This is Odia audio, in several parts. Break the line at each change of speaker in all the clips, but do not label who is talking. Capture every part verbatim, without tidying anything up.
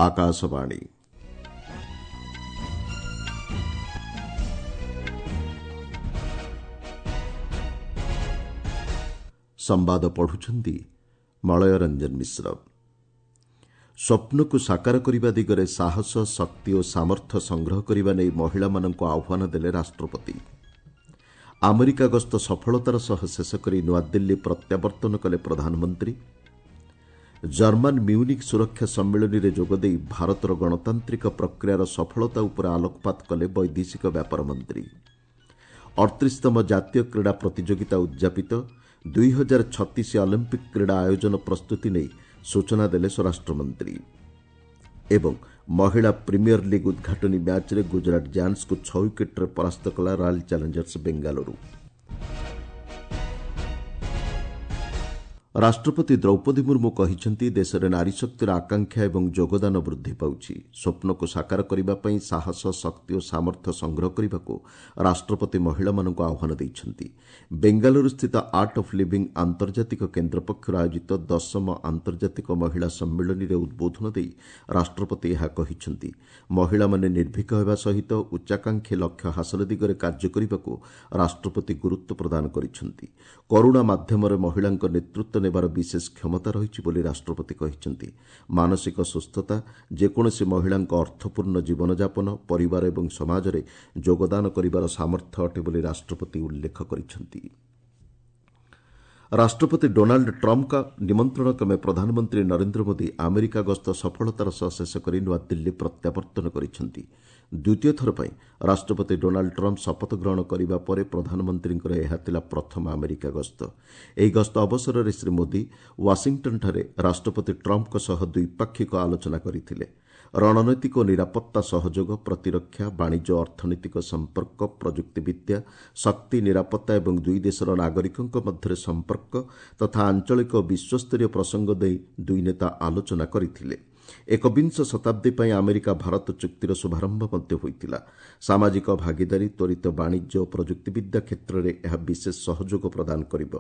ଆକାଶବାଣୀ। ସମ୍ବାଦ ପଢୁଛନ୍ତି ମଳୟ ରଞ୍ଜନ ମିଶ୍ର। ସ୍ୱପ୍ନକୁ ସାକାର କରିବା ଦିଗରେ ସାହସ, ଶକ୍ତି ଓ ସାମର୍ଥ୍ୟ ସଂଗ୍ରହ କରିବା ନେଇ ମହିଳାମାନଙ୍କୁ ଆହ୍ୱାନ ଦେଲେ ରାଷ୍ଟ୍ରପତି। ଆମେରିକା ଗସ୍ତ ସଫଳତାର ସହ ଶେଷ କରି ନୂଆଦିଲ୍ଲୀ ପ୍ରତ୍ୟାବର୍ତ୍ତନ କଲେ ପ୍ରଧାନମନ୍ତ୍ରୀ। ଜର୍ମାନ ମ୍ୟୁନିକ୍ ସୁରକ୍ଷା ସମ୍ମିଳନୀରେ ଯୋଗଦେଇ ଭାରତର ଗଣତାନ୍ତ୍ରିକ ପ୍ରକ୍ରିୟାର ସଫଳତା ଉପରେ ଆଲୋକପାତ କଲେ ବୈଦେଶିକ ବ୍ୟାପାର ମନ୍ତ୍ରୀ। ଅଠତିରିଶତମ ଜାତୀୟ କ୍ରୀଡ଼ା ପ୍ରତିଯୋଗିତା ଉଦ୍ଯାପିତ, ଦୁଇ ହଜାର ଛତିଶ ଅଲିମ୍ପିକ୍ କ୍ରୀଡ଼ା ଆୟୋଜନ ପ୍ରସ୍ତୁତି ନେଇ ସୂଚନା ଦେଲେ ସ୍ୱରାଷ୍ଟ୍ରମନ୍ତ୍ରୀ। ଏବଂ ମହିଳା ପ୍ରିମିୟର ଲିଗ୍ ଉଦ୍ଘାଟନୀ ମ୍ୟାଚ୍ରେ ଗୁଜରାଟ ଜାୟାଣ୍ଟସ୍କୁ ଛଅ ୱିକେଟ୍ରେ ପରାସ୍ତ କଲା ରୟାଲ୍ ଚ୍ୟାଲେଞ୍ଜର୍ସ ବେଙ୍ଗାଲୁରୁ। ରାଷ୍ଟ୍ରପତି ଦ୍ରୌପଦୀ ମୁର୍ମୁ କହିଛନ୍ତି, ଦେଶରେ ନାରୀଶକ୍ତିର ଆକାଂକ୍ଷା ଏବଂ ଯୋଗଦାନ ବୃଦ୍ଧି ପାଉଛି। ସ୍ୱପ୍ନକୁ ସାକାର କରିବା ପାଇଁ ସାହସ, ଶକ୍ତି ଓ ସାମର୍ଥ୍ୟ ସଂଗ୍ରହ କରିବାକୁ ରାଷ୍ଟ୍ରପତି ମହିଳାମାନଙ୍କୁ ଆହ୍ୱାନ ଦେଇଛନ୍ତି। ବେଙ୍ଗାଲୁରୁସ୍ଥିତ ଆର୍ଟ ଅଫ୍ ଲିଭିଂ ଆନ୍ତର୍ଜାତିକ କେନ୍ଦ୍ର ପକ୍ଷରୁ ଆୟୋଜିତ ଦଶମ ଆନ୍ତର୍ଜାତିକ ମହିଳା ସମ୍ମିଳନୀରେ ଉଦ୍ବୋଧନ ଦେଇ ରାଷ୍ଟ୍ରପତି ଏହା କହିଛନ୍ତି। ମହିଳାମାନେ ନିର୍ଭୀକ ହେବା ସହିତ ଉଚ୍ଚାକାଂକ୍ଷୀ ଲକ୍ଷ୍ୟ ହାସଲ ଦିଗରେ କାର୍ଯ୍ୟ କରିବାକୁ ରାଷ୍ଟ୍ରପତି ଗୁରୁତ୍ୱ ପ୍ରଦାନ କରିଛନ୍ତି। କରୁଣା ମାଧ୍ୟମରେ ମହିଳାଙ୍କ ନେତୃତ୍ୱ ନେବାର ବିଶେଷ କ୍ଷମତା ରହିଛି ବୋଲି ରାଷ୍ଟ୍ରପତି କହିଛନ୍ତି। ମାନସିକ ସୁସ୍ଥତା, ଯେକୌଣସି ମହିଳାଙ୍କ ଅର୍ଥପୂର୍ଣ୍ଣ ଜୀବନଯାପନ, ପରିବାର ଏବଂ ସମାଜରେ ଯୋଗଦାନ କରିବାର ସାମର୍ଥ୍ୟ ଅଟେ ବୋଲି ରାଷ୍ଟ୍ରପତି ଉଲ୍ଲେଖ କରିଛନ୍ତି। ରାଷ୍ଟ୍ରପତି ଡୋନାଲ୍ଡ ଟ୍ରମ୍ପଙ୍କ ନିମନ୍ତ୍ରଣ କ୍ରମେ ପ୍ରଧାନମନ୍ତ୍ରୀ ନରେନ୍ଦ୍ର ମୋଦି ଆମେରିକା ଗସ୍ତ ସଫଳତାର ସହ ଶେଷ କରି ନୂଆଦିଲ୍ଲୀ ପ୍ରତ୍ୟାବର୍ତ୍ତନ କରିଛନ୍ତି। ଦ୍ୱିତୀୟ ଥର ପାଇଁ ରାଷ୍ଟ୍ରପତି ଡୋନାଲ୍ଡ ଟ୍ରମ୍ପ ଶପଥ ଗ୍ରହଣ କରିବା ପରେ ପ୍ରଧାନମନ୍ତ୍ରୀଙ୍କର ଏହା ଥିଲା ପ୍ରଥମ ଆମେରିକା ଗସ୍ତ। ଏହି ଗସ୍ତ ଅବସରରେ ଶ୍ରୀ ମୋଦି ୱାଶିଂଟନ୍ଠାରେ ରାଷ୍ଟ୍ରପତି ଟ୍ରମ୍ପଙ୍କ ସହ ଦ୍ୱିପାକ୍ଷିକ ଆଲୋଚନା କରିଥିଲେ। ରଣନୈତିକ ଓ ନିରାପତ୍ତା ସହଯୋଗ, ପ୍ରତିରକ୍ଷା, ବାଣିଜ୍ୟ, ଅର୍ଥନୈତିକ ସମ୍ପର୍କ, ପ୍ରଯୁକ୍ତିବିଦ୍ୟା, ଶକ୍ତି, ନିରାପତ୍ତା ଏବଂ ଦୁଇ ଦେଶର ନାଗରିକଙ୍କ ମଧ୍ୟରେ ସମ୍ପର୍କ ତଥା ଆଞ୍ଚଳିକ ଓ ବିଶ୍ୱସ୍ତରୀୟ ପ୍ରସଙ୍ଗ ଦେଇ ଦୁଇ ନେତା ଆଲୋଚନା କରିଥିଲେ। ଏକବିଂଶ ଶତାବ୍ଦୀ ପାଇଁ ଆମେରିକା ଭାରତ ଚୁକ୍ତିର ଶୁଭାରମ୍ଭ ମଧ୍ୟ ହୋଇଥିଲା। ସାମାଜିକ ଭାଗିଦାରୀ, ତ୍ୱରିତ ବାଣିଜ୍ୟ ଓ ପ୍ରଯୁକ୍ତିବିଦ୍ୟା କ୍ଷେତ୍ରରେ ଏହା ବିଶେଷ ସହଯୋଗ ପ୍ରଦାନ କରିବ।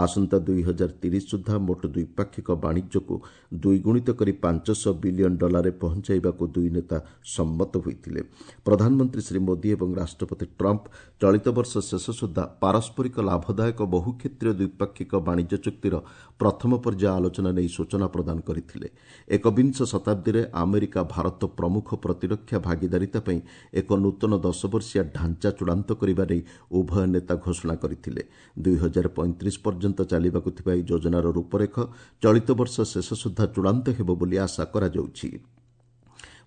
ଆସନ୍ତା ଦୁଇ ହଜାର ତିରିଶ ସୁଦ୍ଧା ମୋଟ ଦ୍ୱିପାକ୍ଷିକ ବାଣିଜ୍ୟକୁ ଦ୍ୱିଗୁଣିତ କରି ପାଞ୍ଚଶହ ବିଲିୟନ ଡଲାରରେ ପହଞ୍ଚାଇବାକୁ ଦୁଇ ନେତା ସମ୍ମତ ହୋଇଥିଲେ। ପ୍ରଧାନମନ୍ତ୍ରୀ ଶ୍ରୀ ମୋଦି ଏବଂ ରାଷ୍ଟ୍ରପତି ଟ୍ରମ୍ପ ଚଳିତ ବର୍ଷ ଶେଷ ସୁଦ୍ଧା ପାରସ୍ପରିକ ଲାଭଦାୟକ ବହୁକ୍ଷେତ୍ରୀୟ ଦ୍ୱିପାକ୍ଷିକ ବାଣିଜ୍ୟ ଚୁକ୍ତିର ପ୍ରଥମ ପର୍ଯ୍ୟାୟ ଆଲୋଚନା ନେଇ ସୂଚନା ପ୍ରଦାନ କରିଥିଲେ। ଏକବିଂଶ ଶତାବ୍ଦୀରେ ଆମେରିକା ଭାରତ ପ୍ରମୁଖ ପ୍ରତିରକ୍ଷା ଭାଗିଦାରିତା ପାଇଁ ଏକ ନୂତନ ଦଶବର୍ଷିଆ ଢାଞ୍ଚା ଚୂଡ଼ାନ୍ତ କରିବା ନେଇ ଉଭୟ ନେତା ଘୋଷଣା କରିଥିଲେ। ଦୁଇ ହଜାର ପଇଁତିରିଶ ପର୍ଯ୍ୟନ୍ତ ଚାଲିବାକୁ ଥିବା ଏହି ଯୋଜନାର ରୂପରେଖ ଚଳିତ ବର୍ଷ ଶେଷ ସୁଦ୍ଧା ଚୂଡ଼ାନ୍ତ ହେବ ବୋଲି ଆଶା କରାଯାଉଛି।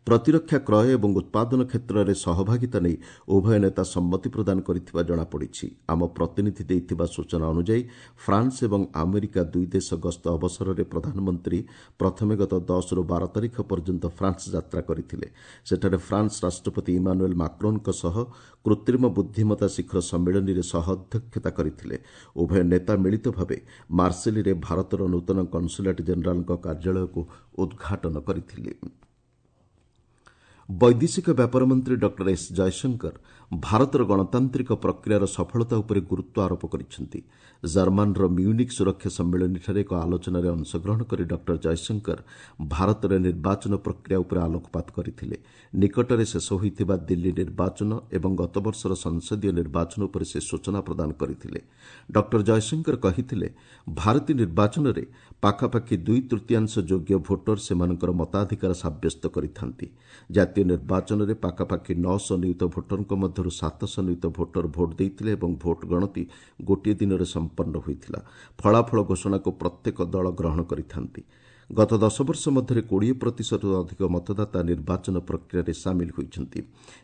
ପ୍ରତିରକ୍ଷା କ୍ରୟ ଏବଂ ଉତ୍ପାଦନ କ୍ଷେତ୍ରରେ ସହଭାଗିତା ନେଇ ଉଭୟ ନେତା ସମ୍ମତି ପ୍ରଦାନ କରିଥିବା ଜଣାପଡ଼ିଛି। ଆମ ପ୍ରତିନିଧି ଦେଇଥିବା ସୂଚନା ଅନୁଯାୟୀ ଫ୍ରାନ୍ସ ଏବଂ ଆମେରିକା ଦୁଇ ଦେଶ ଗସ୍ତ ଅବସରରେ ପ୍ରଧାନମନ୍ତ୍ରୀ ପ୍ରଥମେ ଗତ ଦଶରୁ ବାର ତାରିଖ ପର୍ଯ୍ୟନ୍ତ ଫ୍ରାନ୍ସ ଯାତ୍ରା କରିଥିଲେ। ସେଠାରେ ଫ୍ରାନ୍ସ ରାଷ୍ଟ୍ରପତି ଇମାନୁଏଲ୍ ମାକ୍ରୋନ୍ଙ୍କ ସହ କୃତ୍ରିମ ବୁଦ୍ଧିମତ୍ତା ଶିଖର ସମ୍ମିଳନୀରେ ସହ ଅଧ୍ୟକ୍ଷତା କରିଥିଲେ। ଉଭୟ ନେତା ମିଳିତ ଭାବେ ମାର୍ସେଲିରେ ଭାରତର ନୂତନ କନସୁଲେଟ୍ ଜେନେରାଲଙ୍କ କାର୍ଯ୍ୟାଳୟକୁ ଉଦ୍ଘାଟନ କରିଥିଲେ। ବୈଦେଶିକ ବ୍ୟାପାର ମନ୍ତ୍ରୀ ଡକ୍ଟର ଏସ୍ ଜୟଶଙ୍କର ଭାରତର ଗଣତାନ୍ତ୍ରିକ ପ୍ରକ୍ରିୟାର ସଫଳତା ଉପରେ ଗୁରୁତ୍ୱ ଆରୋପ କରିଛନ୍ତି। ଜର୍ମାନର ମ୍ୟୁନିକ୍ ସୁରକ୍ଷା ସମ୍ମିଳନୀଠାରେ ଏକ ଆଲୋଚନାରେ ଅଂଶଗ୍ରହଣ କରି ଡକ୍ଟର ଜୟଶଙ୍କର ଭାରତରେ ନିର୍ବାଚନ ପ୍ରକ୍ରିୟା ଉପରେ ଆଲୋକପାତ କରିଥିଲେ। ନିକଟରେ ଶେଷ ହୋଇଥିବା ଦିଲ୍ଲୀ ନିର୍ବାଚନ ଏବଂ ଗତବର୍ଷର ସଂସଦୀୟ ନିର୍ବାଚନ ଉପରେ ସେ ସୂଚନା ପ୍ରଦାନ କରିଥିଲେ। ଡକ୍ଟର ଜୟଶଙ୍କର କହିଥିଲେ, ଭାରତୀୟ ନିର୍ବାଚନରେ ପାଖାପାଖି ଦୁଇ ତୃତୀୟାଂଶ ଯୋଗ୍ୟ ଭୋଟର ସେମାନଙ୍କର ମତାଧିକାର ସାବ୍ୟସ୍ତ କରିଥାନ୍ତି। ଜାତୀୟ ନିର୍ବାଚନରେ ପାଖାପାଖି ନଅଶହ ନିୟୁତ ଭୋଟରଙ୍କ ମଧ୍ୟରୁ ସାତଶହ ନିୟୁତ ଭୋଟର ଭୋଟ ଦେଇଥିଲେ ଏବଂ ଭୋଟ ଗଣତି ଗୋଟିଏ ଦିନରେ ସମ୍ପନ୍ନ ହୋଇଥିଲା। ଫଳାଫଳ ଘୋଷଣାକୁ ପ୍ରତ୍ୟେକ ଦଳ ଗ୍ରହଣ କରିଥାନ୍ତି। ଗତ ଦଶ ବର୍ଷ ମଧ୍ୟରେ କୋଡ଼ିଏ ପ୍ରତିଶତରୁ ଅଧିକ ମତଦାତା ନିର୍ବାଚନ ପ୍ରକ୍ରିୟାରେ ସାମିଲ ହୋଇଛନ୍ତି।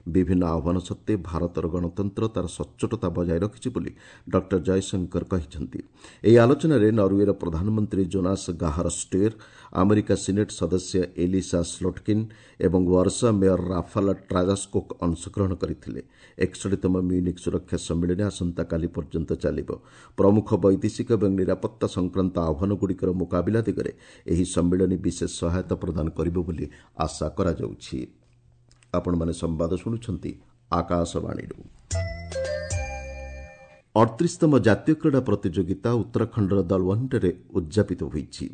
ବିଭିନ୍ନ ଆହ୍ୱାନ ସତ୍ତ୍ୱେ ଭାରତର ଗଣତନ୍ତ୍ର ତା'ର ସଚ୍ଚୋଟତା ବଜାୟ ରଖିଛି ବୋଲି ଡକ୍ଟର ଜୟଶଙ୍କର କହିଛନ୍ତି। ଏହି ଆଲୋଚନାରେ ନରୱେର ପ୍ରଧାନମନ୍ତ୍ରୀ ଜୋନାସ ଗାହାର ଷ୍ଟେର୍, ଆମେରିକା ସିନେଟ୍ ସଦସ୍ୟ ଏଲିସା ସ୍ଲୋଟକିନ୍ ଏବଂ ୱାର୍ସା ମେୟର ରାଫାଲ ଟ୍ରାଜାସ୍କୋକ୍ ଅଂଶଗ୍ରହଣ କରିଥିଲେ। ଏକଷଠିତମ ମ୍ୟୁନିକ୍ ସୁରକ୍ଷା ସମ୍ମିଳନୀ ଆସନ୍ତାକାଲି ପର୍ଯ୍ୟନ୍ତ ଚାଲିବ। ପ୍ରମୁଖ ବୈଦେଶିକ ଏବଂ ନିରାପତ୍ତା ସଂକ୍ରାନ୍ତ ଆହ୍ୱାନଗୁଡ଼ିକର ମୁକାବିଲା ଦିଗରେ ଏହି ସମ୍ମିଳନୀ ବିଶେଷ ସହାୟତା ପ୍ରଦାନ କରିବ ବୋଲି ଆଶା କରାଯାଉଛି। ଆପଣମାନେ ସମ୍ବାଦ ଶୁଣୁଛନ୍ତି ଆକାଶବାଣୀରୁ। ଅଠତିରିଶତମ ଜାତୀୟ କ୍ରୀଡ଼ା ପ୍ରତିଯୋଗିତା ଉତ୍ତରାଖଣ୍ଡର ଦଲୱନ୍ଠାରେ ଉଦ୍ଯାପିତ ହୋଇଛି।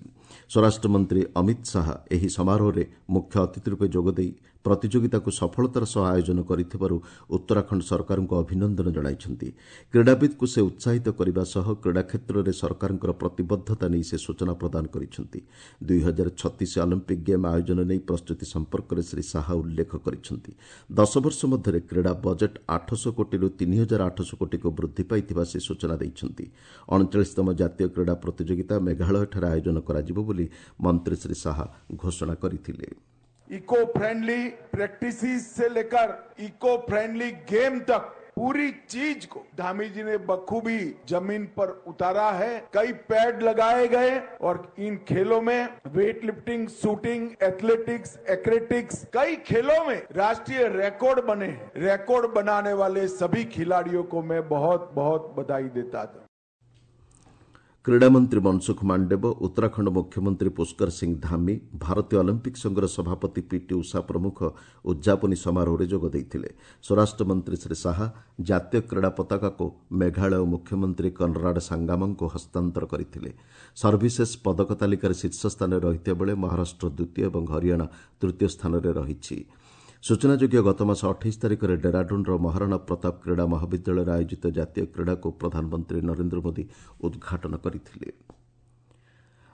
ସ୍ୱରାଷ୍ଟ୍ରମନ୍ତ୍ରୀ ଅମିତ ଶାହା ଏହି ସମାରୋହରେ ମୁଖ୍ୟ ଅତିଥି ରୂପେ ଯୋଗଦେଇ ପ୍ରତିଯୋଗିତାକୁ ସଫଳତାର ସହ ଆୟୋଜନ କରିଥିବାରୁ ଉତ୍ତରାଖଣ୍ଡ ସରକାରଙ୍କୁ ଅଭିନନ୍ଦନ ଜଣାଇଛନ୍ତି। କ୍ରୀଡ଼ାବିତ୍କୁ ସେ ଉତ୍ସାହିତ କରିବା ସହ କ୍ରୀଡ଼ା କ୍ଷେତ୍ରରେ ସରକାରଙ୍କର ପ୍ରତିବଦ୍ଧତା ନେଇ ସେ ସୂଚନା ପ୍ରଦାନ କରିଛନ୍ତି। ଦୁଇ ହଜାର ଛତିଶ ଅଲିମ୍ପିକ୍ ଗେମ୍ ଆୟୋଜନ ନେଇ ପ୍ରସ୍ତୁତି ସମ୍ପର୍କରେ ଶ୍ରୀ ଶାହା ଉଲ୍ଲେଖ କରିଛନ୍ତି। ଦଶ ବର୍ଷ ମଧ୍ୟରେ କ୍ରୀଡ଼ା ବଜେଟ୍ ଆଠଶହ କୋଟିରୁ ତିନି ହଜାର ଆଠଶହ କୋଟିକୁ ବୃଦ୍ଧି ପାଇଥିବା ସେ ସୂଚନା ଦେଇଛନ୍ତି। ଅଣଚାଳିଶତମ ଜାତୀୟ କ୍ରୀଡ଼ା ପ୍ରତିଯୋଗିତା ମେଘାଳୟଠାରେ ଆୟୋଜନ କରାଯିବ ବୋଲି ମନ୍ତ୍ରୀ ଶ୍ରୀ ଶାହା ଘୋଷଣା କରିଥିଲେ।
इको फ्रेंडली प्रैक्टिसेस से लेकर इको फ्रेंडली गेम तक पूरी चीज को धामी जी ने बखूबी जमीन पर उतारा है। कई पैड लगाए गए और इन खेलों में weight lifting, shooting, athletics, aquatics, कई खेलों में राष्ट्रीय रिकॉर्ड बने हैं। रिकॉर्ड बनाने वाले सभी खिलाड़ियों को मैं बहुत बहुत बधाई देता था।
କ୍ରୀଡ଼ାମନ୍ତ୍ରୀ ମନସୁଖ ମାଣ୍ଡବ୍ୟ, ଉତ୍ତରାଖଣ୍ଡ ମୁଖ୍ୟମନ୍ତ୍ରୀ ପୁଷ୍କର ସିଂ ଧାମି, ଭାରତୀୟ ଅଲିମ୍ପିକ୍ ସଂଘର ସଭାପତି ପିଟି ଉଷା ପ୍ରମୁଖ ଉଦ୍ଯାପନୀ ସମାରୋହରେ ଯୋଗ ଦେଇଥିଲେ। ସ୍ୱରାଷ୍ଟ୍ରମନ୍ତ୍ରୀ ଶ୍ରୀ ଶାହା ଜାତୀୟ କ୍ରୀଡ଼ା ପତାକାକୁ ମେଘାଳୟ ମୁଖ୍ୟମନ୍ତ୍ରୀ କନରାଡ୍ ସାଙ୍ଗାମାଙ୍କୁ ହସ୍ତାନ୍ତର କରିଥିଲେ। ସର୍ଭିସେସ୍ ପଦକ ତାଲିକାରେ ଶୀର୍ଷ ସ୍ଥାନରେ ରହିଥିବା ବେଳେ ମହାରାଷ୍ଟ୍ର ଦ୍ୱିତୀୟ ଏବଂ ହରିୟାଣା ତୃତୀୟ ସ୍ଥାନରେ ରହିଛି। ସୂଚନାଯୋଗ୍ୟ, ଗତମାସ ଅଠେଇଶ ତାରିଖରେ ଡେରାଡୁନ୍ର ମହାରାଣା ପ୍ରତାପ କ୍ରୀଡ଼ା ମହାବିଦ୍ୟାଳୟରେ ଆୟୋଜିତ ଜାତୀୟ କ୍ରୀଡ଼ାକୁ ପ୍ରଧାନମନ୍ତ୍ରୀ ନରେନ୍ଦ୍ର ମୋଦି ଉଦ୍ଘାଟନ କରିଥିଲେ।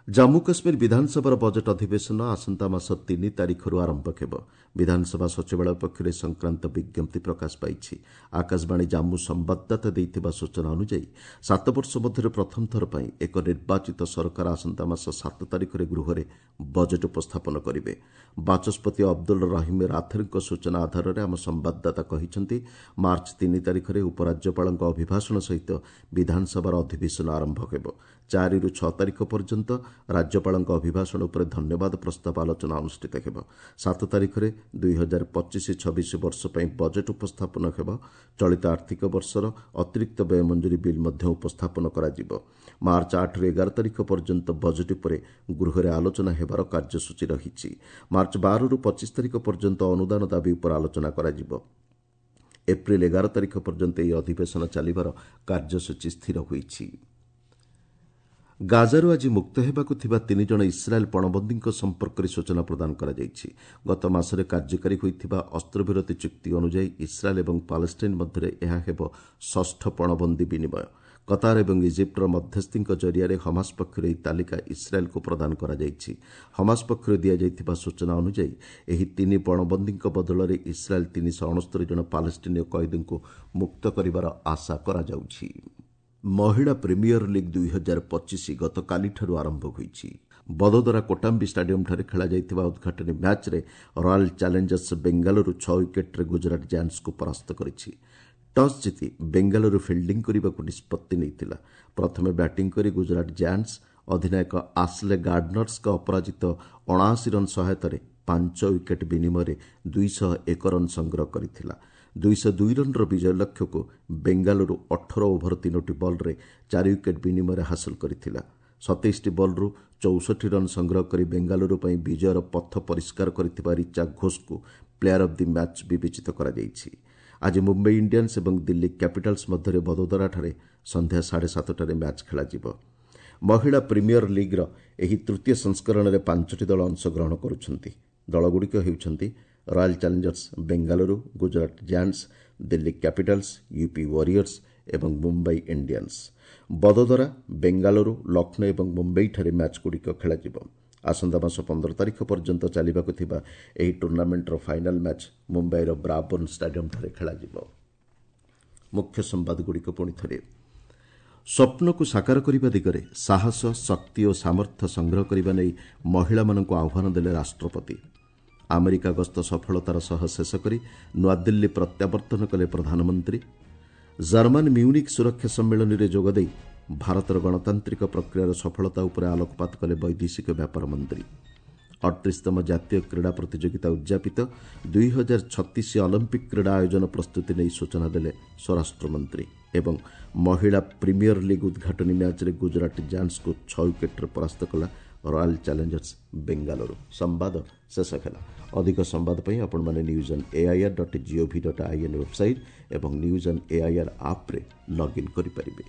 ଜାମ୍ମୁ କାଶ୍ମୀର ବିଧାନସଭାର ବଜେଟ୍ ଅଧିବେଶନ ଆସନ୍ତା ମାସ ତିନି ତାରିଖରୁ ଆରମ୍ଭ ହେବ। ବିଧାନସଭା ସଚିବାଳୟ ପକ୍ଷରୁ ଏ ସଂକ୍ରାନ୍ତ ବିଜ୍ଞପ୍ତି ପ୍ରକାଶ ପାଇଛି। ଆକାଶବାଣୀ ଜାମ୍ମୁ ସମ୍ବାଦଦାତା ଦେଇଥିବା ସୂଚନା ଅନୁଯାୟୀ ସାତ ବର୍ଷ ମଧ୍ୟରେ ପ୍ରଥମ ଥର ପାଇଁ ଏକ ନିର୍ବାଚିତ ସରକାର ଆସନ୍ତା ମାସ ସାତ ତାରିଖରେ ଗୃହରେ ବଜେଟ୍ ଉପସ୍ଥାପନ କରିବେ। ବାଚସ୍ପତି ଅବଦୁଲ ରହିମ ରାଥେରଙ୍କ ସୂଚନା ଆଧାରରେ ଆମ ସମ୍ବାଦଦାତା କହିଛନ୍ତି, ମାର୍ଚ୍ଚ ତିନି ତାରିଖରେ ଉପରାଜ୍ୟପାଳଙ୍କ ଅଭିଭାଷଣ ସହିତ ବିଧାନସଭାର ଅଧିବେଶନ ଆରମ୍ଭ ହେବ। ଚାରିରୁ ଛଅ ତାରିଖ ପର୍ଯ୍ୟନ୍ତ ରାଜ୍ୟପାଳଙ୍କ ଅଭିଭାଷଣ ଉପରେ ଧନ୍ୟବାଦ ପ୍ରସ୍ତାବ ଆଲୋଚନା ଅନୁଷ୍ଠିତ ହେବ। ସାତ ତାରିଖରେ ଦୁଇ ହଜାର ପଚିଶ ଛବିଶ ବର୍ଷ ପାଇଁ ବଜେଟ୍ ଉପସ୍ଥାପନ ହେବ। ଚଳିତ ଆର୍ଥିକ ବର୍ଷର ଅତିରିକ୍ତ ବ୍ୟୟ ମଞ୍ଜୁରୀ ବିଲ୍ ମଧ୍ୟ ଉପସ୍ଥାପନ କରାଯିବ। ମାର୍ଚ୍ଚ ଆଠରୁ ଏଗାର ତାରିଖ ପର୍ଯ୍ୟନ୍ତ ବଜେଟ୍ ଉପରେ ଗୃହରେ ଆଲୋଚନା ହେବାର କାର୍ଯ୍ୟସୂଚୀ ରହିଛି। ମାର୍ଚ୍ଚ ବାରରୁ ପଚିଶ ତାରିଖ ପର୍ଯ୍ୟନ୍ତ ଅନୁଦାନ ଦାବି ଉପରେ ଆଲୋଚନା କରାଯିବ। ଏପ୍ରିଲ ଏଗାର ତାରିଖ ପର୍ଯ୍ୟନ୍ତ ଏହି ଅଧିବେଶନ ଚାଲିବାର କାର୍ଯ୍ୟସୂଚୀ ସ୍ଥିର ହୋଇଛି। ଗାଜାରୁ ଆଜି ମୁକ୍ତ ହେବାକୁ ଥିବା ତିନି ଜଣ ଇସ୍ରାଏଲ୍ ପଣବନ୍ଦୀଙ୍କ ସମ୍ପର୍କରେ ସୂଚନା ପ୍ରଦାନ କରାଯାଇଛି। ଗତ ମାସରେ କାର୍ଯ୍ୟକାରୀ ହୋଇଥିବା ଅସ୍ତ୍ରବିରତି ଚୁକ୍ତି ଅନୁଯାୟୀ ଇସ୍ରାଏଲ୍ ଏବଂ ପାଲେଷ୍ଟାଇନ୍ ମଧ୍ୟରେ ଏହା ହେବ ଷଷ୍ଠ ପଣବନ୍ଦୀ ବିନିମୟ। କତାର ଏବଂ ଇଜିପ୍ଟର ମଧ୍ୟସ୍ଥିଙ୍କ ଜରିଆରେ ହମାସ ପକ୍ଷରୁ ଏହି ତାଲିକା ଇସ୍ରାଏଲ୍କୁ ପ୍ରଦାନ କରାଯାଇଛି। ହମାସ ପକ୍ଷରୁ ଦିଆଯାଇଥିବା ସୂଚନା ଅନୁଯାୟୀ ଏହି ତିନି ପଣବନ୍ଦୀଙ୍କ ବଦଳରେ ଇସ୍ରାଏଲ୍ ତିନିଶହ ଅଣସ୍ତରୀ ଜଣ ପାଲେଷ୍ଟିନୀୟ କଏଦୀଙ୍କୁ ମୁକ୍ତ କରିବାର ଆଶା କରାଯାଉଛି। ମହିଳା ପ୍ରିମିୟର ଲିଗ୍ ଦୁଇ ହଜାର ପଚିଶ ଗତକାଲିଠାରୁ ଆରମ୍ଭ ହୋଇଛି। ବଦୋଦରା କୋଟାମ୍ବି ଷ୍ଟାଡିୟମ୍ଠାରେ ଖେଳାଯାଇଥିବା ଉଦ୍ଘାଟନୀ ମ୍ୟାଚ୍ରେ ରୟାଲ୍ ଚ୍ୟାଲେଞ୍ଜର୍ସ ବେଙ୍ଗାଲୁରୁ ଛଅ ୱିକେଟ୍ରେ ଗୁଜରାଟ ଜାୟାଣ୍ଟସ୍କୁ ପରାସ୍ତ କରିଛି। ଟସ୍ ଜିତି ବେଙ୍ଗାଲୁରୁ ଫିଲ୍ଡିଂ କରିବାକୁ ନିଷ୍ପତ୍ତି ନେଇଥିଲା। ପ୍ରଥମେ ବ୍ୟାଟିଂ କରି ଗୁଜରାଟ ଜାୟାଣ୍ଟସ୍ ଅଧିନାୟକ ଆସ୍ଲେ ଗାର୍ଡନର୍ସଙ୍କ ଅପରାଜିତ ଅଣାଅଶୀ ରନ୍ ସହାୟତାରେ ପାଞ୍ଚ ୱିକେଟ୍ ବିନିମୟରେ ଦୁଇଶହ ଏକ ରନ୍ ସଂଗ୍ରହ କରିଥିଲା। ଦୁଇଶହ ଦୁଇ ରନ୍ର ବିଜୟ ଲକ୍ଷ୍ୟକୁ ବେଙ୍ଗାଲୁରୁ ଅଠର ଓଭର ତିନୋଟି ବଲ୍ରେ ଚାରି ୱିକେଟ୍ ବିନିମୟରେ ହାସଲ କରିଥିଲା। ସତେଇଶଟି ବଲ୍ରୁ ଚଉଷଠି ରନ୍ ସଂଗ୍ରହ କରି ବେଙ୍ଗାଲୁରୁ ପାଇଁ ବିଜୟର ପଥ ପରିଷ୍କାର କରିଥିବା ରିଚା ଘୋଷଙ୍କୁ ପ୍ଲେୟାର ଅଫ୍ the match ବିବେଚିତ କରାଯାଇଛି। ଆଜି ମୁମ୍ବାଇ ଇଣ୍ଡିଆନ୍ସ ଏବଂ ଦିଲ୍ଲୀ କ୍ୟାପିଟାଲ୍ସ ମଧ୍ୟରେ ବଦୋଦରାଠାରେ ସନ୍ଧ୍ୟା ସାଢ଼େ ସାତଟାରେ ମ୍ୟାଚ୍ ଖେଳାଯିବ। ମହିଳା ପ୍ରିମିୟର ଲିଗ୍ର ଏହି ତୃତୀୟ ସଂସ୍କରଣରେ ପାଞ୍ଚଟି ଦଳ ଅଂଶଗ୍ରହଣ କରୁଛନ୍ତି। ଦଳଗୁଡ଼ିକ ହେଉଛନ୍ତି Royal Challengers Bengaluru, Gujarat Giants, Delhi Capitals, UP Warriors ଏବଂ ମୁମ୍ବାଇ ଇଣ୍ଡିଆନ୍ସ। ବଦୋଦରା, ବେଙ୍ଗାଲୁରୁ, ଲକ୍ଷ୍ନୌ ଏବଂ ମୁମ୍ବାଇଠାରେ ମ୍ୟାଚ୍ଗୁଡ଼ିକ ଖେଳାଯିବ। ଆସନ୍ତା ମାସ ପନ୍ଦର ତାରିଖ ପର୍ଯ୍ୟନ୍ତ ଚାଲିବାକୁ ଥିବା ଏହି ଟୁର୍ଣ୍ଣାମେଣ୍ଟର ଫାଇନାଲ୍ ମ୍ୟାଚ୍ ମୁମ୍ବାଇର ବ୍ରାବର୍ଣ୍ଣ ଷ୍ଟାଡିୟମ୍ଠାରେ ଖେଳାଯିବ। ମୁଖ୍ୟ ସମ୍ବାଦଗୁଡ଼ିକ ପୁଣି ଥରେ। ସ୍ୱପ୍ନକୁ ସାକାର କରିବା ଦିଗରେ ସାହସ, ଶକ୍ତି ଓ ସାମର୍ଥ୍ୟ ସଂଗ୍ରହ କରିବା ନେଇ ମହିଳାମାନଙ୍କୁ ଆହ୍ୱାନ ଦେଲେ ରାଷ୍ଟ୍ରପତି। ଆମେରିକା ଗସ୍ତ ସଫଳତାର ସହ ଶେଷ କରି ନୂଆଦିଲ୍ଲୀ ପ୍ରତ୍ୟାବର୍ତ୍ତନ କଲେ ପ୍ରଧାନମନ୍ତ୍ରୀ। ଜର୍ମାନ ମ୍ୟୁନିକ୍ ସୁରକ୍ଷା ସମ୍ମିଳନୀରେ ଯୋଗଦେଇ ଭାରତର ଗଣତାନ୍ତ୍ରିକ ପ୍ରକ୍ରିୟାର ସଫଳତା ଉପରେ ଆଲୋକପାତ କଲେ ବୈଦେଶିକ ବ୍ୟାପାର ମନ୍ତ୍ରୀ। ଅଠତିରିଶତମ ଜାତୀୟ କ୍ରୀଡ଼ା ପ୍ରତିଯୋଗିତା ଉଦ୍ଯାପିତ ଦୁଇ ହଜାର ଛତିଶ ଅଲିମ୍ପିକ୍ କ୍ରୀଡ଼ା ଆୟୋଜନ ପ୍ରସ୍ତୁତି ନେଇ ସୂଚନା ଦେଲେ ସ୍ୱରାଷ୍ଟ୍ରମନ୍ତ୍ରୀ। ଏବଂ ମହିଳା ପ୍ରିମିୟର ଲିଗ୍ ଉଦ୍ଘାଟନୀ ମ୍ୟାଚ୍ରେ ଗୁଜରାଟ ଜାୟାଣ୍ଟସ୍କୁ ଛଅ ୱିକେଟ୍ରେ ପରାସ୍ତ କଲା ରୟାଲ୍ ଚ୍ୟାଲେଞ୍ଜର୍ସ ବେଙ୍ଗାଲୁରୁ। ସମ୍ବାଦ ଶେଷ ହେଲା। ଅଧିକ ସମ୍ବାଦ ପାଇଁ ଆପଣମାନେ news on AIR dot GOV dot IN website ଏବଂ ନ୍ୟୁଜ୍ ଅନ୍ ଏଆଇଆର୍ ଆପ୍ରେ ଲଗ୍ଇନ୍ କରିପାରିବେ।